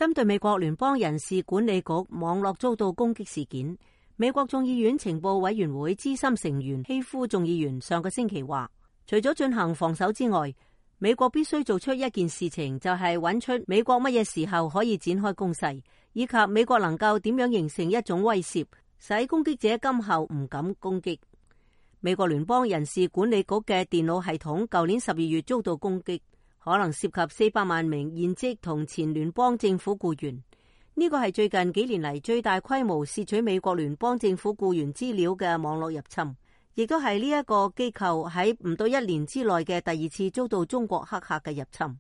針對美國聯邦人事管理局網絡遭到攻擊事件，美國眾議院情報委員會資深成員希夫眾議員上個星期話，除咗進行防守之外，美國必須做出一件事情，就係揾出美國乜嘢時候可以展開攻勢，以及美國能夠點樣形成一種威懾，使攻擊者今後唔敢攻擊。美國聯邦人事管理局嘅電腦系統舊年12月遭到攻擊，可能涉及400萬名現職同前聯邦政府僱員。呢個係最近幾年嚟最大規模竊取美國聯邦政府僱員資料嘅網絡入侵，亦都係呢一個機構喺唔到1年之內嘅第2次遭到中國黑客嘅入侵。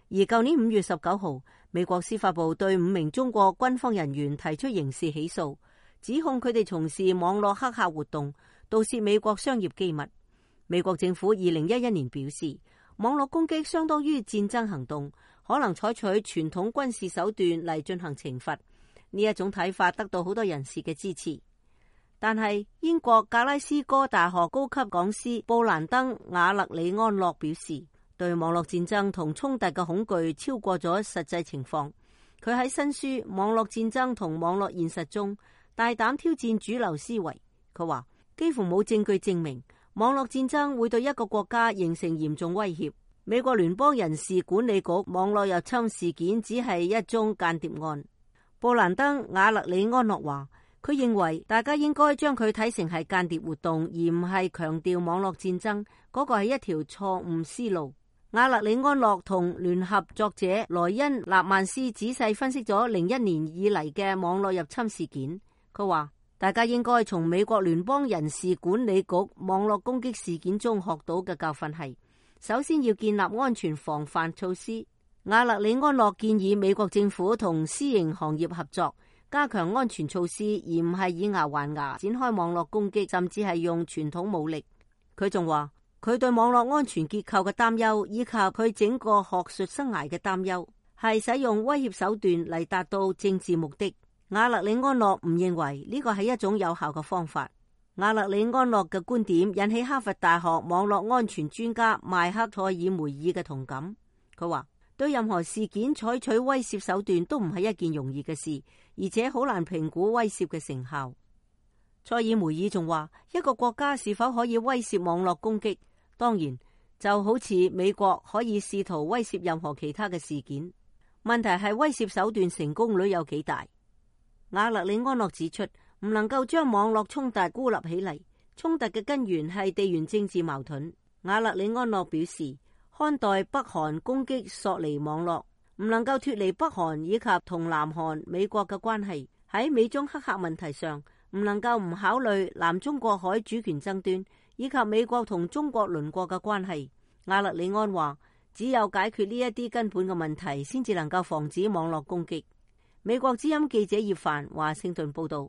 而舊年5月19號，美國司法部對5名中國軍方人員提出刑事起訴，指控佢哋從事網絡黑客活動，盜竊美國商業機密。美國政府2011年表示，網絡攻擊相當於戰爭行動，可能採取傳統軍事手段嚟進行懲罰。呢一種睇法得到好多人士嘅支持。但係英國格拉斯哥大學高級講師布蘭登·瓦勒里安諾表示，對網絡戰爭同衝突嘅恐懼超過咗實際情況。佢喺新書《網絡戰爭同網絡現實》中大膽挑戰主流思維。佢話幾乎冇證據證明網絡戰爭會對一個國家形成嚴重威脅。美國聯邦人事管理局網絡入侵事件只係一宗間諜案。布蘭登·瓦勒里安諾話，佢認為大家應該將佢睇成係間諜活動，而唔係強調網絡戰爭。嗰個係一條錯誤思路。瓦勒里安諾同聯合作者萊恩·納曼斯仔細分析咗01年以嚟嘅網絡入侵事件。佢話大家應該從美國聯邦人事管理局網絡攻擊事件中學到嘅教訓係，首先要建立安全防範措施。瓦勒里安諾建議美國政府同私營行業合作，加強安全措施，而唔係以牙還牙展開網絡攻擊，甚至係用傳統武力。佢仲話佢對網絡安全結構嘅擔憂，以及佢整個學術生涯嘅擔憂，係使用威脅手段嚟達到政治目的。瓦勒里安諾唔認為呢個係一種有效嘅方法。瓦勒里安諾嘅觀點引起哈佛大學網絡安全專家邁克·塞爾梅爾嘅同感。佢話對任何事件採取威懾手段都唔係一件容易嘅事，而且好難評估威懾嘅成效。塞爾梅爾仲話，一個國家是否可以威懾網絡攻擊，當然就好似美國可以試圖威懾任何其他嘅事件。問題係威懾手段成功率有幾大。瓦勒里安諾指出，唔能夠將網絡衝突孤立起嚟，衝突嘅根源係地緣政治矛盾。瓦勒里安諾表示，看待北韓攻擊索尼網絡，唔能夠脫離北韓以及同南韓、美國嘅關係。喺美中黑客問題上，唔能夠唔考慮南中國海主權爭端以及美國同中國鄰國嘅關係。瓦勒里安話，只有解決呢一啲根本嘅問題，先至能夠防止網絡攻擊。美國之音記者葉凡華盛頓報道。